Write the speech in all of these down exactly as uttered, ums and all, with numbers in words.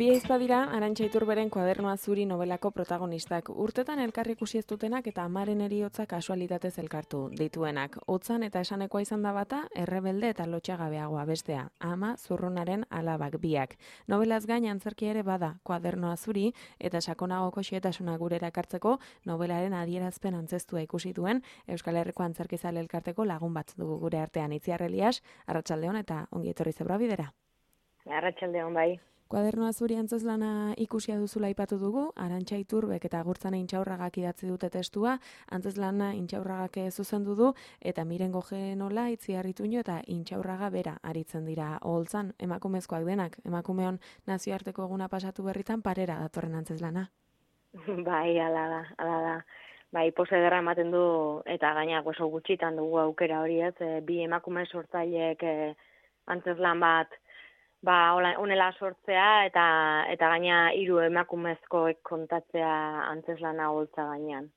Bi ahizpa dira Arantxa Iturberen Koadernoa zuri nobelako protagonistak. Urtetan elkarri ikusi ez dutenak eta amaren heriotza kasualitatez elkartu dituenak. Hotzan eta esanekoa izan da bata, errebelde eta lotxagabeagoa bestea. Ama zurrunaren alabak biak. Nobelaz gain antzerkia ere bada Koadernoa zuri eta sakonagoko xehetasuna gurera ekartzeko nobelaren adierazpen antzestua ikusi duen Euskal Herriko Antzerkizale elkarteko lagun bat dugu gure artean. Itziar Elias, arratsaldeon eta ongi etorri zebra bidera. Arratsaldeon bai. Koadernoa zuri antzezlana ikusia duzula aipatu dugu, Arantxa Iturbek eta Agurtzane Intxaurragak idatzi dute testua, antzezlana Intxaurragak zuzendu du, eta Miren Gojenola, Itziar Ituño eta Intxaurraga bera aritzen dira oholtzan, emakumezkoak denak, emakumeon nazioarteko eguna pasatu berritan parera datorren antzezlana. Bai, ala da, ala da. Bai, pose ederra ematen du, eta gaina oso gutxitan dugu aukera hori ez, e, bi emakume sortzaileek e, antzezlan bat Ba, honela sortzea eta eta gaina hiru emakumezkoek kontatzea antzeslana holtza gainean.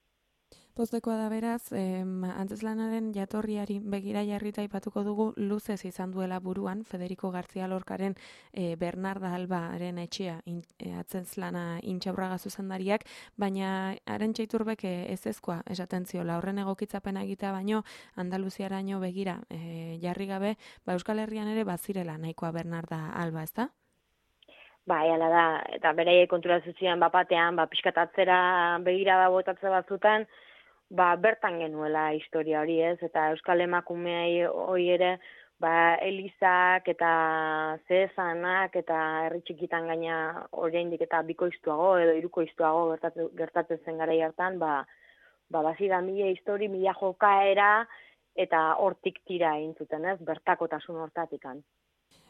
Poztekoa da beraz, em, antzeslanaren jatorriari begira jarrita aipatuko dugu luzez izan duela buruan Federico García Lorcaren e, Bernarda Albaren etxea in, e, antzeslana Intxaurraga zuzendariak, baina Arantxa Iturbek e, ezezkoa esaten ziola horren egokitzapena egitea baino Andaluziaraino begira e, jarri gabe, ba Euskal Herrian ere bazirela nahikoa Bernarda Alba, ezta? Bai, ala da, eta beraiek konturatzen ziren bapatean, ba pixkatatzera begira da botatze batzutan, ba bertan genuela historia hori ez, eta Euskal emakumeei hori ere, ba elizak eta zeezanak eta herri txikitan gaina oraindik eta bikoiztuago edo hirukoiztuago gertatzen, gertatzen zen garai hartan, ba ba bazira mila histori, mila jokaera eta hortik tira egin zuten, ez, bertakotasun hortatikan.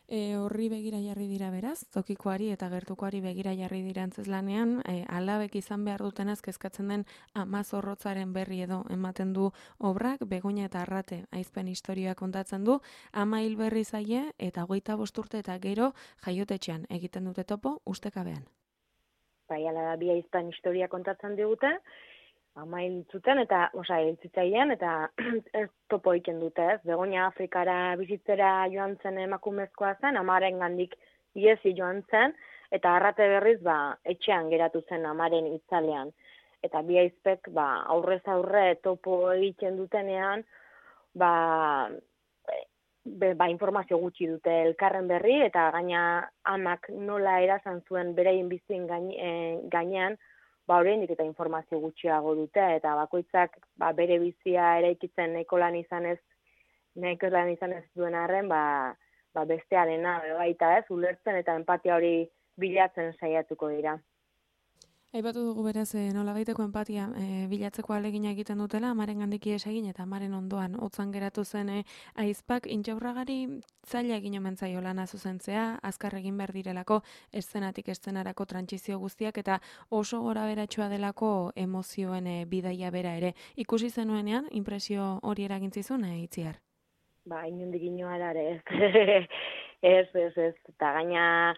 E, horri begira jarri dira beraz, tokikoari eta gertukoari begira jarri dira antzezlanean, e, alabek izan behar dutenaz kezkatzen den ama zorrotzaren berri edo ematen du obrak, Begoña eta Arrate aizpen historia kontatzen du, ama hil berri zaie eta hogeita bost urte eta gero jaiotetxean egiten dute topo ustekabean. Bai, ala da, bi aizpen historia kontatzen digute, ama hil zuten eta, osa, hil zitzailean eta ez topo egiten dute, ez? Begoña Afrikara bizitzera joan zen emakumezkoa zen, amaren gandik iesi joan zen, eta Arrate berriz, ba, etxean geratu zen amaren itzalean. Eta bi aizpek, ba, aurrez aurre topo egiten dutenean, ba, be, ba, informazio gutxi dute elkarren berri, eta gaina amak nola erazan zuen beraien bizien gaine, e, gainean, ba oraindik eta informazio gutxiago dute, eta bakoitzak ba, bere bizia eraikitzen nahiko lan izanez, nahiko lan izanez duen arren, ba, ba bestearena baita ez, ulertzen eta empatia hori bilatzen saiatuko dira. Aipatu dugu beraz e, nolabaiteko empatia e, bilatzeko alegina egiten dutela, amaren gandik ihes egin eta amaren ondoan hotzan geratu zen e, aizpak Intxaurragari zaila egin omen zaio lana zuzentzea, azkar egin behar direlako eszenatik eszenarako trantsizio guztiak eta oso gora beratxoa delako emozioen e, bidaia bera ere. Ikusi zenuenean, impresio hori eragintzizun, e, Itziar? Ba, inondik inoara ere ez, ez, ez, ez, eta gaina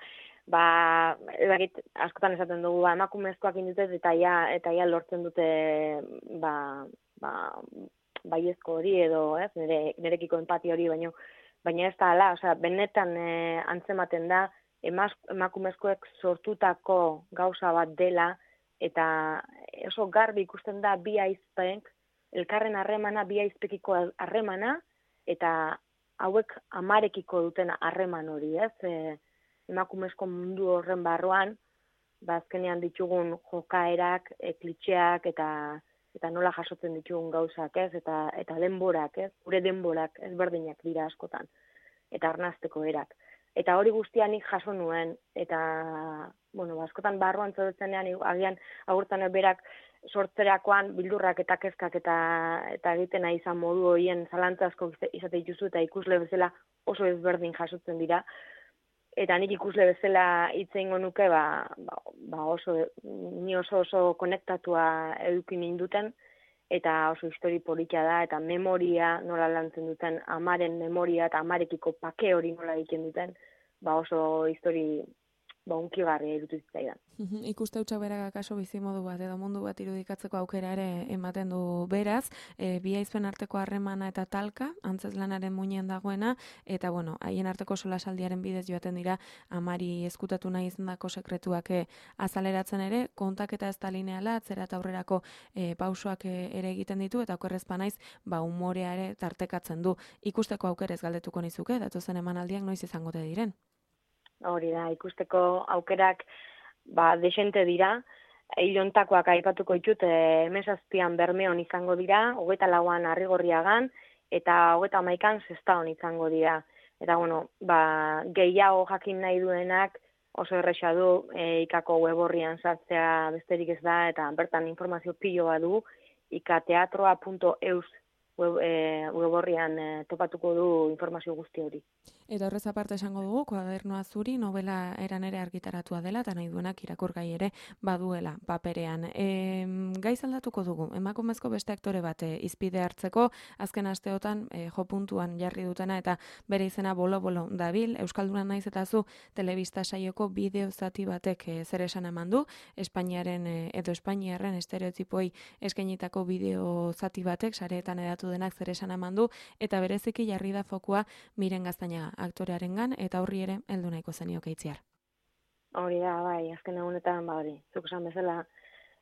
ba, edakit, askotan esaten dugu, ba, emakumezkoak indutez eta ja, eta ja lortzen dute ba, ba, baiezko hori edo, ez, nire, nirekiko empati hori, baino, baina ez da ala, osea, benetan e, antzematen da, emaz, emakumezkoek sortutako gauza bat dela, eta oso garbi ikusten da bi aizpek, elkarren harremana, bi aizpekiko harremana, eta hauek amarekiko duten harreman hori, ez, e, emakumezko mundu horren barruan, ba azkenean ditugun jokaerak, e, klitxeak eta eta nola jasotzen ditugun gauzak, ez, eta eta denborak, ez, gure denborak ezberdinak dira askotan, eta arnasteko erak. Eta hori guztia nik jaso nuen, eta, bueno, askotan barruan zaudetzenean, agian agurtan berak sortzerakoan bildurrak eta kezkak eta eta egiten nahi izan modu horien zalantza asko izate dituzu eta ikusle bezala oso ezberdin jasotzen dira. Eta nik ikusle bezala hitz egingo nuke, ba, ba, ba oso, ni oso oso konektatua eduki ninduten, eta oso histori politia da, eta memoria nola lantzen duten, amaren memoria eta amarekiko pake hori nola egiten duten, ba oso histori ba, unkigarria irutu zitzaidan. Ikuste hutsak berak akaso bizimodu bat edo mundu bat irudikatzeko aukera ere ematen du beraz, e, bi aizpen arteko harremana eta talka, antzezlanaren muinean dagoena, eta bueno, haien arteko solasaldiaren bidez joaten dira amari ezkutatu nahi izandako sekretuak e, azaleratzen ere, kontaketa ez da lineala, atzera eta aurrerako e, pausoak e, ere egiten ditu, eta okerrezpa naiz, ba, umorea ere tartekatzen du. Ikusteko aukerez galdetuko nizuke, datozen emanaldiak noiz izangote diren? Hori da, ikusteko aukerak ba, desente dira, hilontakoak aipatuko ditut, emezazpian Bermeon izango dira, hogeita lauan Arrigorriagan, eta hogeita hamaikan Sestaon izango dira. Eta, bueno, ba, gehiago jakin nahi duenak oso erresa du e, ikako web horrian sartzea besterik ez da, eta bertan informazio pilo bat du, ikateatroa punto eus web, e, web horrian e, topatuko du informazio guzti hori. Eta horrez aparte esango dugu, Koadernoa zuri novela eran ere argitaratua dela, eta nahi duenak irakurgai ere baduela paperean. E, gaiz aldatuko dugu, emakumezko beste aktore bat e, izpide hartzeko, azken asteotan e, jo puntuan jarri dutena, eta bere izena bolo-bolo dabil, Euskalduna naiz eta zu telebista saioko bideo zati batek e, zer esan eman du, Espainiaren e, edo Espainiarren estereotipoi eskainitako bideo zati batek, sareetan edatu denak zer esan eman du, eta bereziki jarri da fokua Miren Gaztañaga aktorearengan, eta horri ere heldu nahiko zenioke itziar. Hori da, bai, azken egunetan, ba hori, zuk esan bezala,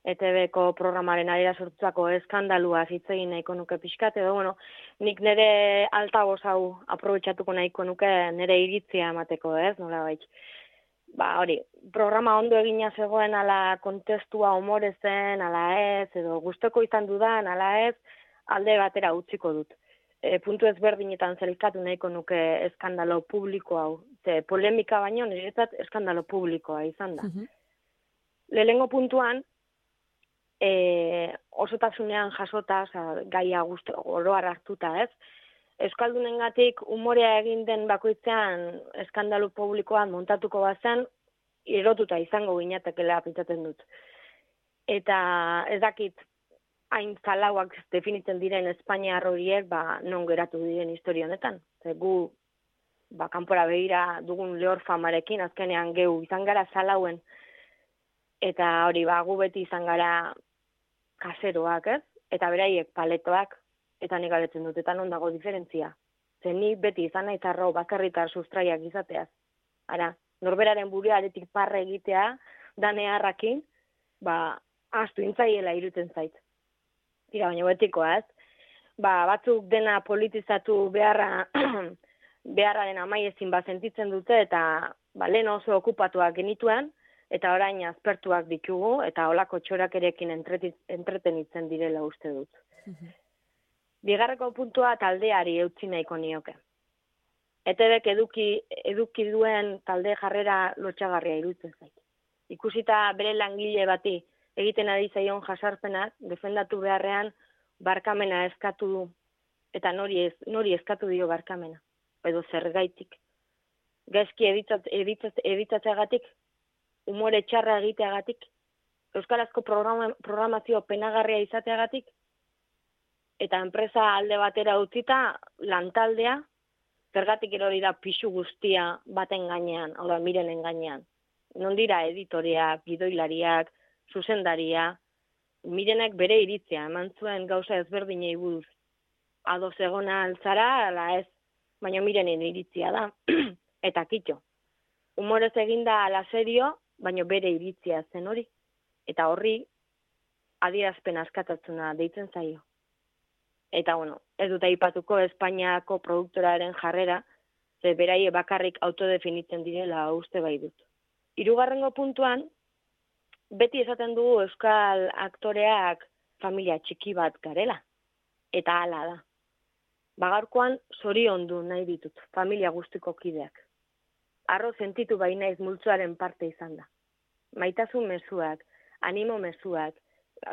E T B-ko programaren arira sortutako eskandalua hitz egin nahiko nuke pixkat, edo, bueno, nik nire altaboz hau aprobetxatuko nahiko nuke nire iritzia emateko, ez, nola baitz. Ba, hori, programa ondo egina zegoen ala kontestua umore zen, ala ez, edo gustoko izan dudan, ala ez, alde batera utziko dut. E, puntu ezberdinetan zelkatu nahiko nuke eskandalo publiko hau. Ze, polemika baino, niretzat eskandalo publikoa izan da. Uh-huh. Lehengo puntuan, e, osotasunean jasota, oza, gaia guzti oroar hartuta, ez? Euskaldunengatik umorea egin den bakoitzean eskandalu publikoan montatuko bazen, erotuta izango ginatekela pentsatzen dut. Eta ez dakit, hain zalauak definitzen diren Espainiar horiek, ba, non geratu diren historia honetan. Ze gu, ba, kanpora begira dugun lehor famarekin, azkenean geu izan gara zalauen, eta hori, ba, gu beti izan gara kaseroak, ez? Eta beraiek paletoak, eta nik galetzen dut, eta non dago diferentzia. Ze ni beti izan nahi zarro bakarritar sustraiak izateaz. Ara, norberaren buruaretik parre egitea, danearrakin, ba, astu intzaiela iruten zait. Tira, baina betikoa, ez? Ba, batzuk dena politizatu beharra, beharraren amaiezin bat sentitzen dute, eta ba, lehen oso okupatuak genituen, eta orain azpertuak ditugu, eta olako txorakerekin entretenitzen direla uste dut. Uh-huh. Bigarreko puntua taldeari eutzi nahiko nioke. E T B-k eduki, eduki duen talde jarrera lotxagarria iruditzen zait. Ikusita bere langile bati, egiten ari zaion jasarpenak, defendatu beharrean barkamena eskatu du, eta nori, ez, nori eskatu dio barkamena, edo zergaitik. Gaizki editzatzeagatik, umore txarra egiteagatik, euskarazko programa, programazio penagarria izateagatik, eta enpresa alde batera utzita, lantaldea, zergatik erori da pixu guztia baten gainean, hau da, Mirenen gainean. Non dira editoriak, gidoilariak, zuzendaria, Mirenek bere iritzia, eman zuen gauza ezberdinei buruz. Ados egona altzara, ala ez, baina Mirenen iritzia da. Eta kitxo. Humorez eginda ala serio, baina bere iritzia zen hori. Eta horri, adierazpen askatatzuna deitzen zaio. Eta, bueno, ez dut aipatuko Espainiako produktoraren jarrera, ze beraie bakarrik autodefinitzen direla uste bai dut. Hirugarrengo puntuan, beti esaten dugu euskal aktoreak familia txiki bat garela. Eta hala da. Bagarkoan zoriondu nahi ditut, familia guztiko kideak. Arro sentitu bai naiz multzoaren parte izan da. Maitasun mezuak, animo mezuak,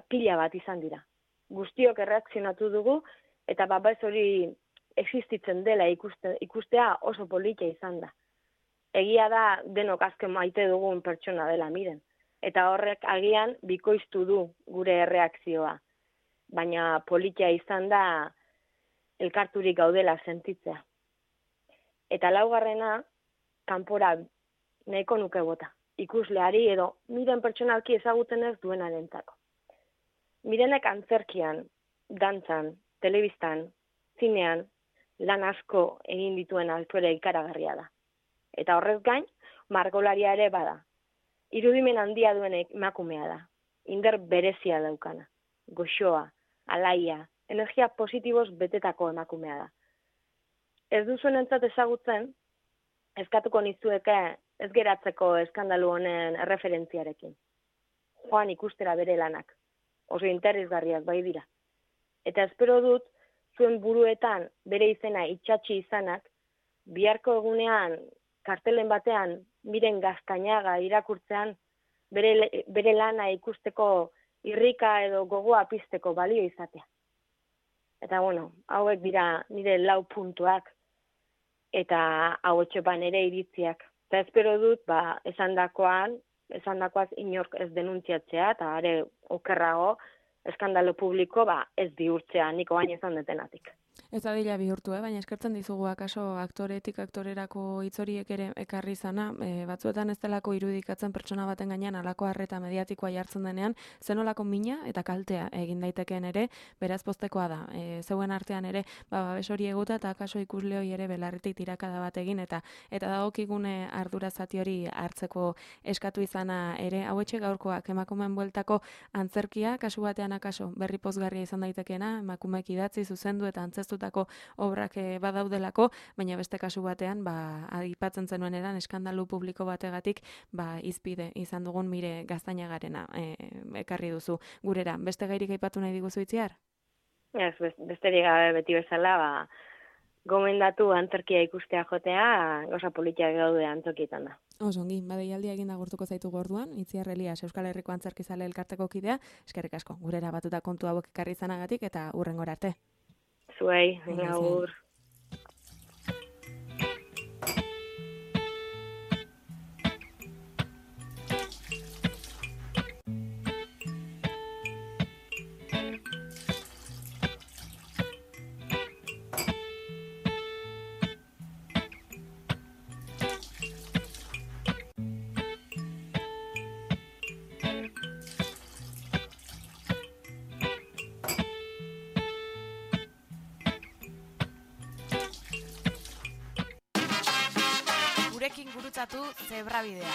pila bat izan dira. Guztiok erreakzionatu dugu, eta babaz hori existitzen dela ikuste, ikustea oso politia izan da. Egia da denok azken maite dugun pertsona dela Miren. Eta horrek agian bikoiztu du gure erreakzioa. Baina politia izan da elkarturik gaudela sentitzea. Eta laugarrena, kanpora nahiko nuke bota. ikusleari edo miren pertsonalki ezagutzen ez duenarentzako. Mirenek antzerkian, dantzan, telebistan, zinean, lan asko egin dituen aktore ikaragarria da. Eta horrez gain, margolaria ere bada. Irudimen handia duen emakumea da. Inder berezia daukana. Goxoa, alaia, energia positiboz betetako emakumea da. Ez duzuenentzat ezagutzen, eskatuko nizueke ez geratzeko eskandalu honen erreferentziarekin. Joan ikustera bere lanak. Oso interesgarriak bai dira. Eta espero dut, zuen buruetan bere izena itxatxi izanak, biharko egunean, kartelen batean, Miren Gaztañaga irakurtzean, bere, bere lana ikusteko irrika edo gogoa pizteko balio izatea. Eta bueno, hauek dira nire lau puntuak, eta hau etxepan ere iritziak. Eta espero dut, ba, esandakoan, esandakoaz inork ez denuntziatzea, eta are okerrago, eskandalo publiko, ba, ez bihurtzea, niko baina esan detenatik. Ez adila bihurtu, eh? Baina eskertzen dizugu akaso aktoretik aktorerako hitz horiek ere ekarri izana, e, batzuetan ez delako irudikatzen pertsona baten gainean halako harreta mediatikoa jartzen denean, zenolako mina eta kaltea egin daitekeen ere, beraz poztekoa da. E, zeuen artean ere, ba, babes hori eguta eta akaso ikusle hori ere belarritik tirakada bat egin, eta eta dagokigune ardura zati hori hartzeko eskatu izana ere, hauetxe gaurkoak emakumeen bueltako antzerkia, kasu batean akaso berri pozgarria izan daitekeena, emakumeek idatzi zuzendu eta antzeztutako obrak badaudelako, baina beste kasu batean, ba, aipatzen zenuen eran, eskandalu publiko bategatik, ba, izpide izan dugun Mire Gaztañagarena e, ekarri duzu gurera. Beste gairik aipatu nahi diguzu Itziar? Ez, besterik gabe beti bezala, ba, gomendatu antzerkia ikustea jotea, goza politia gaude antzokietan da. Osongi, badeialdia egin agurtuko zaitu gorduan, Itziar Elias Euskal Herriko Antzerkizale elkarteko kidea, eskerrik asko, gurera batuta kontu hauek ekarri izanagatik eta hurrengora arte. Zuei, agur. Gurekin gurutzatu Zebrabidea.